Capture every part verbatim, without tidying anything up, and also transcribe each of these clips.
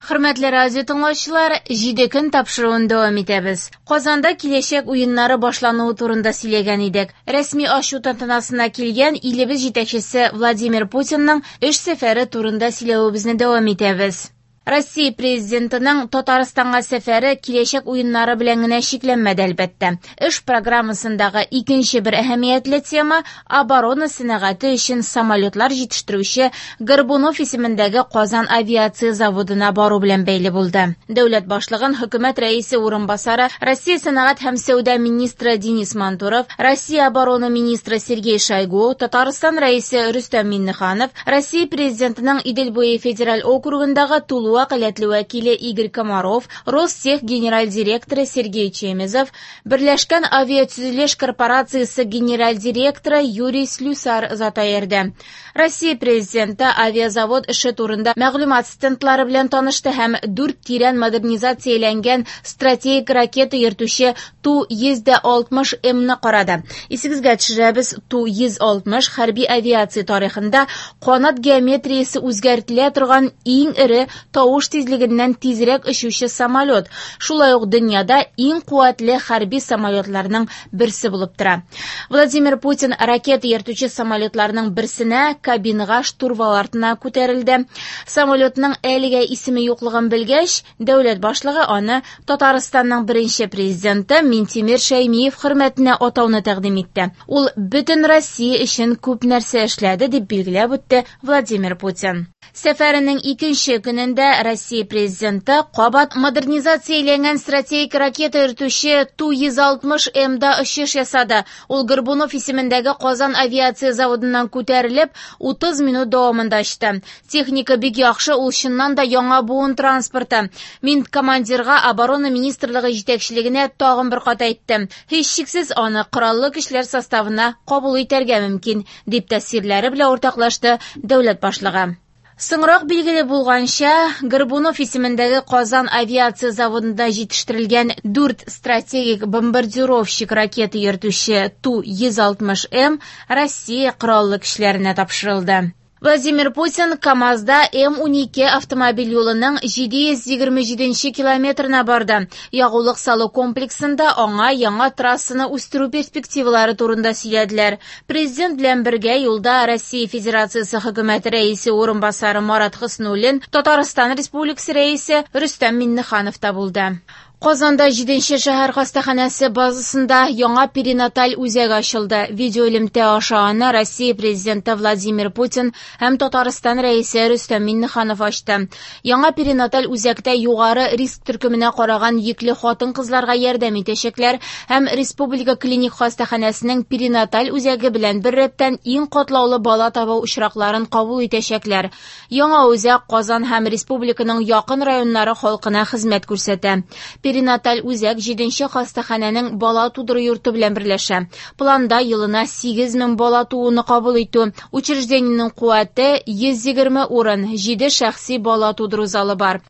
Хөрмәтле радио тыңлаучылар, җиде көн тапшыруын дәвам итәбез. Казанда киләчәк уеннары башлануы турында сөйләгән идек. Рәсми ачу тантанасына килгән илебез җитәкчесе Владимир Путинның эш сәфәре турында сөйләвебезне дәвам итәбез. Россия президентының Татарстанга сәфәре киләчәк уеннары белән генә чикләнмәде, әлбәттә. Эш программасындагы икенче бер әһәмиятле тема оборона сәнәгате өчен самолетлар җитештерүче Горбунов исемендәге Казан авиация заводына бару белән бәйле булды. Дәүләт башлыгын хөкүмәт рәисе урынбасары, Россия сәнәгать һәм сәүдә министры Денис Мантуров, Россия оборона министры Сергей Шойгу, Татарстан рәисе Рөстәм Миңнеханов, Россия президентының Идел буе федераль округындагы тулы вәкаләтле вәкиле Игорь Комаров, Ростех генераль директоры Сергей Чемезов, Берләшкән авиатөзелеш корпорациясе генераль директоры Юрий Слюсар озата йөрде. Россия президенты авиазавод эше турында мәгълүмат стендлары белән танышты һәм дүрт тирән модернизацияләнгән стратегик ракета йөртүче Ту йөз алтмыш М-ны карады. Исегезгә төшерәбез, Ту йөз алтмыш хәрби авиация тарихында канат геометриясе үзгәртелә торган иң эре тавыш тизлегеннән тизрәк очучы самолет. Шулай ук дөньяда иң куәтле хәрби самолетларның берсе булып тора. Владимир Путин ракета йөртүче самолетларның берсенә кабинага штурвал артына күтәрелде. Самолетның әлегә исеме юклыгын белгәч, дәүләт башлыгы аны Татарстанның беренче президенты Минтимер Шәймиев хөрмәтенә атауны тәкъдим итте. Ул бөтен Россия өчен күп нәрсә эшләде, дип билгеләп үтте Владимир Путин. Сәфәренең икенче көнендә Россия президенты кабат модернизацияләнгән стратегик ракета йөртүче Ту йөз алтмыш М-да очыш ясады. Ул Горбунов исемендәге Казан авиация заводыннан күтәрелеп, утыз минут дәвамында очты. Техника бик яхшы, ул чыннан да яңа буын транспорты. Мин командирга оборона министрлыгы җитәкчелегенә тагын бер кат әйттем. Һичшиксез аны кораллы көчләр составына кабул итәргә мөмкин, дип тәэсирләре белән уртаклашты дәүләт башлыгы. Соңрак билгеле булганча, Горбунов исемендәге Казан авиация заводында җитештерелгән дүрт стратегик бомбардировщик ракета йөртүче Ту йөз алтмыш М Россия кораллы көчләренә тапшырылды. Владимир Путин КАМАЗда М унике автомобиль юлының җиде йөз егерме җиденче километрына барды. Ягулык салу комплексында аңа яңа трассаны үстерү перспективалары турында сөйләделәр. Президент белән бергә юлда Россия Федерациясе хөкүмәте рәисе урынбасары Марат Хөснуллин, Татарстан Республикасы рәисе Рөстәм Миңнеханов та булды. Казанда җиденче шәһәр хастаханәсе базасында яңа перинаталь үзәк ачылды. Видеоэлемтә аша аны Россия президенты Владимир Путин һәм Татарстан рәисе Рөстәм Миңнеханов ачты. Яңа перинаталь үзәктә югары риск төркеменә караган йөкле хатын-кызларга ярдәм итәчәкләр һәм Республика клиник хастаханәсенең перинаталь үзәге белән беррәттән иң катлаулы бала табу очракларын кабул итәчәкләр. Яңа үзәк Казан һәм республиканың якын районнары халкына хезмәт күрсәтә. Перинаталь үзәк җиденче хастаханәнең бала тудыру йорты белән берләшә. Планда елына сигез мең бала тууны кабул итү. Учреждениенең куәте йөз егерме урын, җиде шәхси бала тудыру залы бар.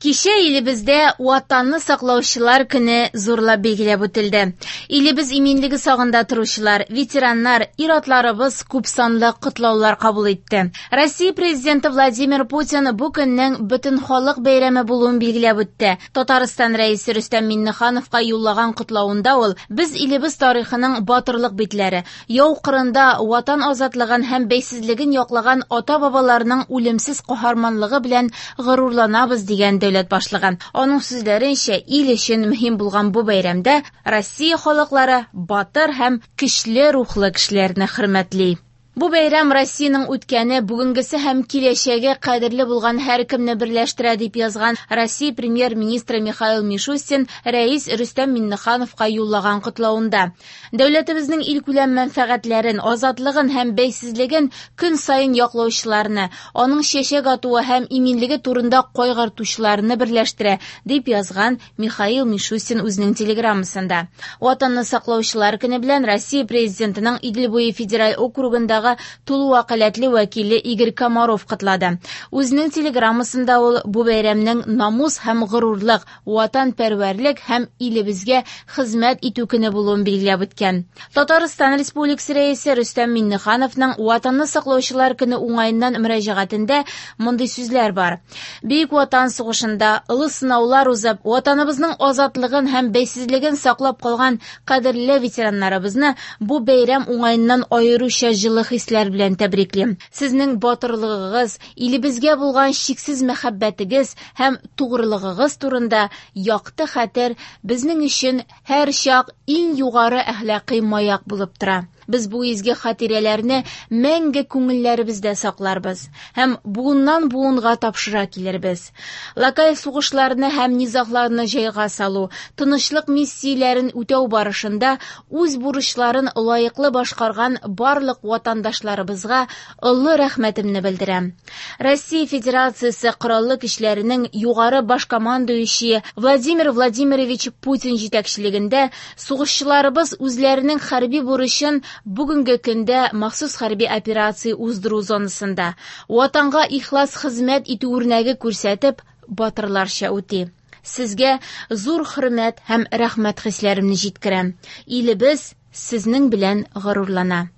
Кичә илебездә Ватанны саклаучылар көне зурлап билгеләп үтелде. Илебез иминлеге сагында торучылар, ветераннар, ир-атларыбыз күп санлы котлаулар кабул итте. Россия президенты Владимир Путин бу көннең бөтен халык бәйрәме булуын билгеләп үтте. Татарстан рәисе Рөстәм Миңнехановка юллаган котлавында ул: "Без илебез тарихының батырлык битләре, яу кырында ватан азатлыгын һәм бәйсезлеген яклаган ата-бабаларның үлемсез каһарманлыгы белән горурланабыз", дигән дәүләт башлыгы. Аның сүзләренчә, ил өчен мөһим булган бу бәйрәмдә Россия халыклары батыр һәм көчле рухлы кешеләрне хөрмәтли. Бу бәйрәм Россиянең үткәне, бүгенгесе һәм киләчәге кадерле булган һәркемне берләштерә, дип язган Россия премьер-министры Михаил Мишустин рәис Рөстәм Миңнехановка юллаган котлавында. Дәүләтебезнең илкүләм мәнфәгатьләрен, азатлыгын һәм бәйсезлеген көн саен яклаучыларны, аның чәчәк атуы һәм иминлеге турында кайгыртучыларны берләштерә, дип язган Михаил Мишустин үзенең телеграммасында. Ватанны саклаучылар көне белән Россия президентының Идел буе федераль округындагы алдындагы тулы вәкаләтле вәкиле Игорь Комаров котлады. Үзенең телеграммасында ул бу бәйрәмнең намус һәм горурлык, ватанпәрвәрлек һәм илебезгә хезмәт итү көне булуын билгеләп үткән. Татарстан Республикасы Рәисе Рөстәм Миңнехановның Ватанны саклаучылар көне уңаеннан мөрәҗәгатендә мондый сүзләр бар. Бөек Ватан сугышында олы сынаулар узып, ватаныбызның азатлыгын һәм бәйсезлеген саклап калган кадерле ветераннарыбызны бу бәйрәм уңаеннан аеруча җылы хисләр белән тәбриклим. Сезнең батырлыгыгыз, илебезгә булган чиксез мәхәббәтегез һәм тугрылыгыгыз турында якты хәтер безнең өчен һәр чак иң югары әхлакый маяк булып тора. Без бу изге хатирәләрне мәңге күңелләребездә сакларбыз һәм буыннан буынга тапшыра килербез. Локаль сугышларны һәм низагларны җайга салу, тынычлык миссияләрен үтәү барышында үз бурычларын лаеклы башкарган барлык ватандашларыбызга олы рәхмәтемне белдерәм. Россия Федерациясе Кораллы көчләренең югары баш командующие Владимир Владимирович Путин җитәкчелегендә сугышчыларыбыз үзләренең хәрби бурычын бүгенге көндә махсус хәрби операция уздыру зонасында ватанга ихлас хезмәт итү үрнәге күрсәтеп батырларча үти. Сезгә зур хөрмәт һәм рәхмәт хисләремне җиткерәм. Илебез сезнең белән горурлана.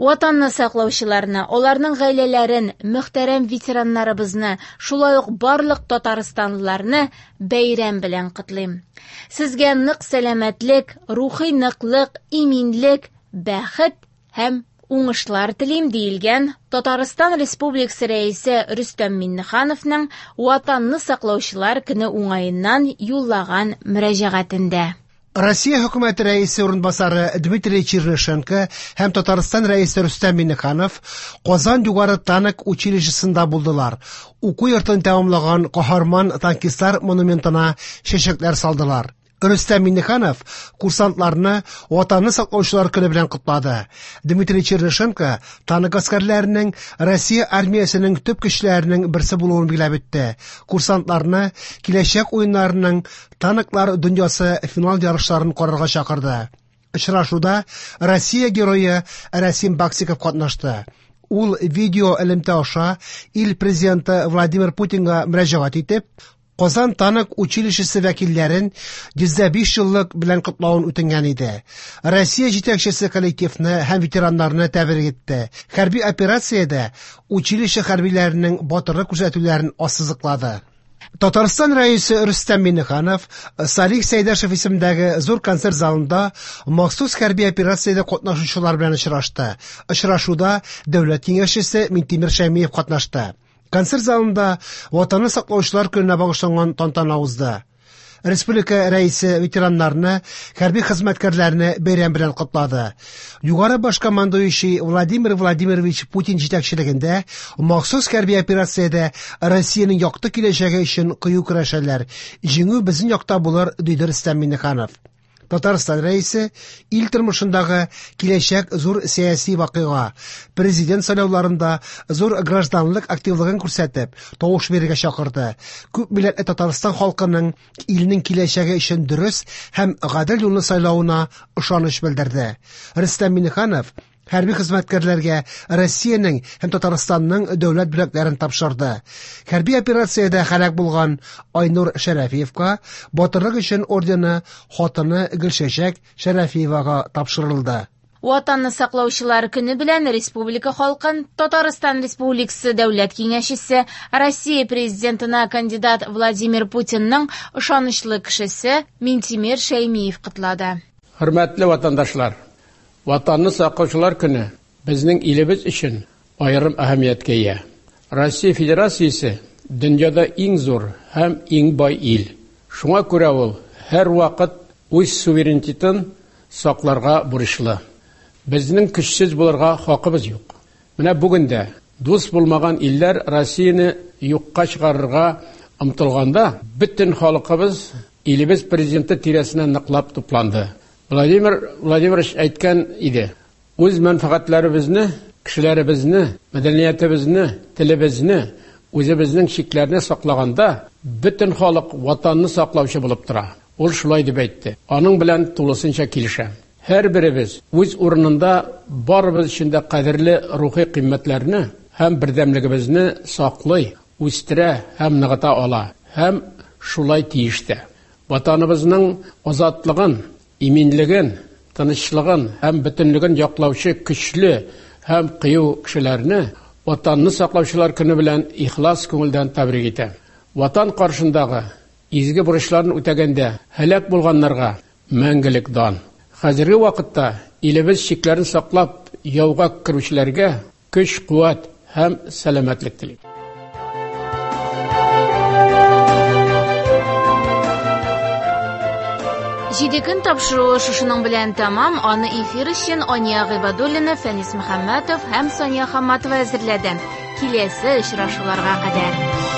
Ватанны саклаучыларны, аларның гаиләләрен, мөхтәрәм ветераннарыбызны, шулай ук барлык татарстанлыларны бәйрәм белән котлыйм. Сезгә нык сәламәтлек, рухи ныклык, иминлек, бәхет һәм уңышлар телим, диелгән Татарстан Республикасы Рәисе Рөстәм Миңнехановның Ватанны саклаучылар көне уңаеннан юллаган мөрәҗәгатендә. Россия хөкүмәте рәисе урынбасары Дмитрий Чернышенко һәм Татарстан рәисе Рөстәм Миңнеханов Казан югары танк училищесында булдылар. Уку йортын тәмамлаган каһарман танкистлар монументына чәчәкләр салдылар. Рөстәм Миңнеханов курсантларны Ватанны саклаучылар көне белән котлады. Дмитрий Чернышенко танк гаскәрләренең Россия армиясенең төп көчләренең берсе булуын билгеләп үтте. Курсантларны киләчәк уеннарының танклар дөньясы финал ярышларын карарга чакырды. Очрашуда Россия герое Рәсим Баксиков катнашты. Ул видео элемтә аша ил президенты Владимир Путинга мөрәҗәгать итеп, Казан танк училищесы вәкилләрен йөз дә биш еллык белән котлавын үтенгән иде. Россия җитәкчесе коллективны һәм ветераннарны тәбрик итте. Хәрби операциядә училище хәрбиләренең батырлык күрсәтүләрен ассызыклады. Татарстан рәисе Рөстәм Миңнеханов Салих Сәйдәшев исемендәге зур концерт залында махсус хәрби операциядә катнашучылар белән очрашты. Очрашуда дәүләт киңәшчесе Минтимер Шәймиев катнашты. Концерт залында Ватанны саклаучылар көненә багышланган тантана узды. Республика рәисе ветераннарны, хәрби хезмәткәрләрне бәйрәм белән котлады. Югары баш командующий Владимир Владимирович Путин җитәкчелегендә махсус хәрби операциядә Россиянең якты киләчәге өчен кыю көрәшәләр. Җиңү безнең якта булыр, диде Рөстәм Миңнеханов. Татарстан рәисе ил тормышындагы киләчәк зур сәяси вакыйга, президент сайлауларында зур гражданлык активлыгын күрсәтеп, тавыш бирергә чакырды. Күп милләтле Татарстан халкының илнең киләчәге өчен дөрес һәм гадел юлны сайлавына ышаныч белдерде. Рөстәм Миңнеханов хәрби хезмәткәрләргә Россиянең һәм Татарстанның дәүләт бүләкләрен тапшырды. Хәрби операциядә һәлак булган Айнур Шәрәфиевка батырлык өчен ордены хатыны Гөлчәчәк Шәрәфиевага тапшырылды. Ватанны саклаучылар көне белән республика халкын Татарстан Республикасы Дәүләт Киңәшчесе, Россия президентына кандидат Владимир Путинның ышанычлы кешесе Минтимер Шәймиев котлады. Хөрмәтле ватандашлар, Ватанны саклаучылар көне безнең илебез өчен аерым әһәмияткә ия. Россия Федерациясе дөньяда иң зур һәм иң бай ил. Шуңа күрә ул һәр вакыт үз суверенитетын сакларга бурычлы. Безнең көчсез булырга хакыбыз юк. Менә бүген дә дус булмаган илләр Россияне юкка чыгарырга омтылганда, бөтен халкыбыз илебез президенты тирәсенә ныклап тупланды. Владимир Владимирович әйткән иде: үз мәнфәгатьләребезне, кешеләребезне, мәдәниятебезне, телебезне, үзебезнең чикләрне саклаганда, бөтен халык ватанны саклаучы булып тора. Ул шулай дип әйтте. Аның белән тулысынча килешәм. Һәрберебез үз урынында барыбыз өчен дә кадерле рухи кыйммәтләрне һәм бердәмлегебезне саклый, үстерә һәм ныгыта ала һәм шулай тиеш тә. Ватаныбызның азатлыгын, иминлеген, тынычлыгын һәм бөтенлеген яклаучы көчле һәм кыю кешеләрне Ватанны саклаучылар көне белән ихлас күңелдән тәбрик итәм. Ватан каршындагы изге бурычларын үтәгәндә һәлак булганнарга мәңгелек дан. Хәзерге вакытта илебез чикләрен саклап яуга керүчеләргә көч, куәт һәм сәламәтлек телим. Җиде көн тапшыруы шушының белән тәмам. Аны эфир өчен Ания Гыйбадуллина, Фәнис Мөхәммәтов һәм Сания Хамматова әзерләде. Киләсе очрашуларга кадәр.